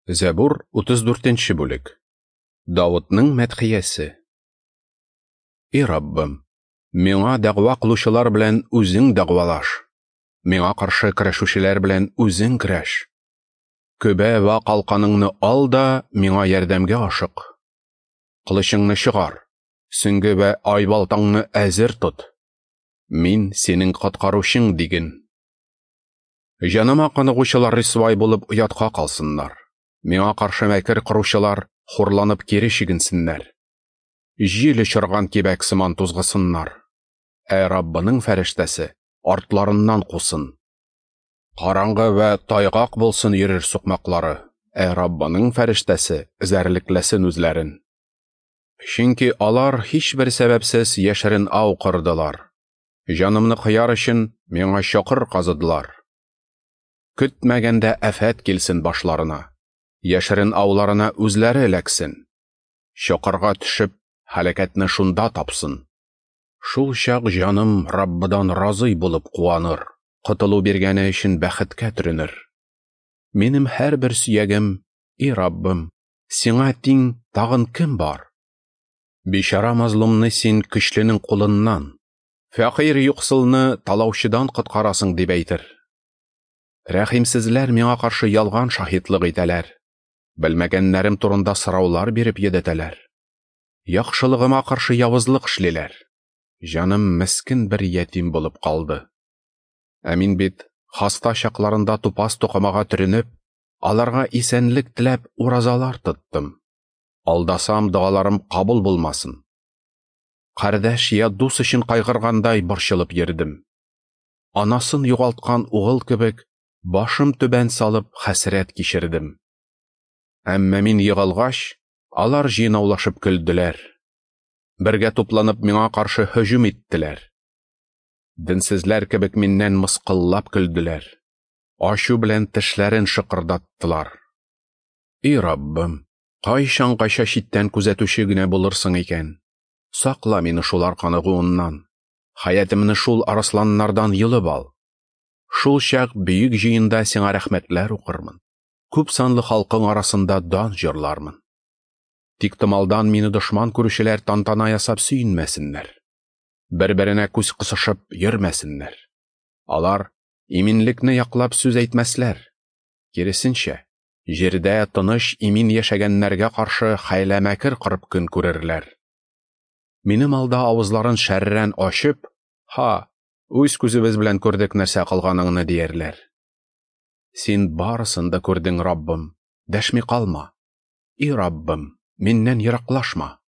Зәбур 34 бүлек. Давытның мәдхиясе. И Раббым, миңа дәгъва кылучылар белән үзең дәгъвалаш. Миңа каршы көрәшүчеләр белән үзең көрәш. Көбә вә калканыңны ал да миңа ярдәмгә ашык. Кылычыңны чыгар, сөңге вә айбалтаңны әзер тот. Мин синең коткаручың диген. Җаныма каныгучылар рисвай булып оятка калсыннар. Миңа каршы мәкер коручылар хурланып кире чигенсеннәр. Җил очырган кибәк сыман тузгысыннар. Ә Раббының фәрештәсе артларыннан кусын. Караңгы вә тайгак булсын йөрер сукмаклары. Ә Раббының фәрештәсе эзәрлекләсен үзләрен. Чөнки алар һичбер сәбәпсез яшерен ау кордылар. Җанымны кыяр өчен миңа чокыр казыдылар. Көтмәгәндә афәт килсен башларына. Яшерен ауларына үзләре эләксен. Чокырга төшеп, һәлакәтне шунда тапсын. Шул чак җаным Раббыдан разый булып куаныр, котылу биргәне өчен бәхеткә төренер. Минем һәрбер сөягем, и Раббым, сиңа тиң тагын кем бар? Бичара мазлумны син көчленең кулыннан, фәкыйрь юксылны талаучыдан коткарасың дип әйтер. Рәхимсезләр миңа каршы ялган шаһитлык итәләр. Белмәгәннәрем турында сораулар биреп йөдәтәләр. Яхшылыгыма каршы явызлык эшлиләр. Җаным мескен бер ятим булып калды. Ә мин бит хаста чакларында тупас тукымага төренеп, аларга исәнлек теләп уразалар тоттым. Алдасам, догаларым кабул булмасын. Кардәш я дус өчен кайгыргандай борчылып йөрдем. Анасын югалткан угыл кебек, башым түбән салып хәсрәт кичердем. Әмма мин егылгач, алар җыйнаулашып көлделәр. Бергә тупланып миңа каршы һөҗүм иттеләр. Денсезләр кебек миннән мыскыллап көлделәр. Ачу белән тешләрен шыкырдаттылар. И Раббым, кайчангаша читтән күзәтүче генә булырсың икән? Сакла мине шулар каныгуыннан. Хәятымны шул арысланнардан йолып ал. Шул чак бөек җыенда сиңа рәхмәтләр укырмын. Күп санлы халкың арасында дан җырлармын. Тик томалдан мине дошман күрүчеләр тантана ясап сөенмәсеннәр. Бер-беренә күз кысышып йөрмәсеннәр. Алар иминлекне яклап сүз әйтмәсләр. Киресенчә, җирдә тыныч имин яшәгәннәргә каршы хәйлә-мәкер корып көн күрерләр. Минем алда авызларын шәррән ачып, ха, үз күзебез белән күрдек нәрсә кылганыңны диярләр. Син барысын да күрдең, Раббым, дәшми калма. И Раббым, миннән ераклашма.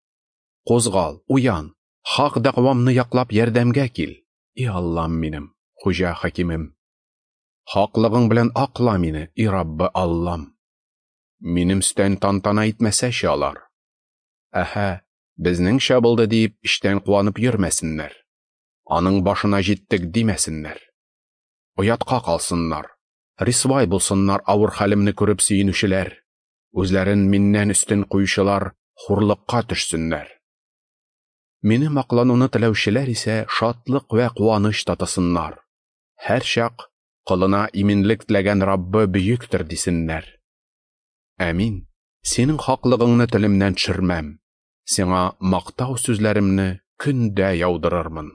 Кузгал, уян, хак дәгъвамны яклап ярдәмгә кил. И Аллам минем, хуҗа хакимем. Хаклыгың белән акла мине, и Раббы Аллам. Минем өстән тантана итмәсәче алар. Әһә, безнеңчә булды дип эчтән куанып йөрмәсеннәр. Аның башына җиттек димәсеннәр. Оятка калсыннар. Рисвай булсыннар авыр хәлемне күреп сөенүчеләр. Үзләрен миннән өстен куючылар хурлыкка төшсеннәр. Минем аклануны теләүчеләр исә шатлык вә куаныч татысыннар. Һәр чак колына иминлек теләгән Раббы бөектер дисеннәр. Ә мин синең хаклыгыңны телемнән төшермәм. Сиңа мактау сүзләремне көндә яудырырмын.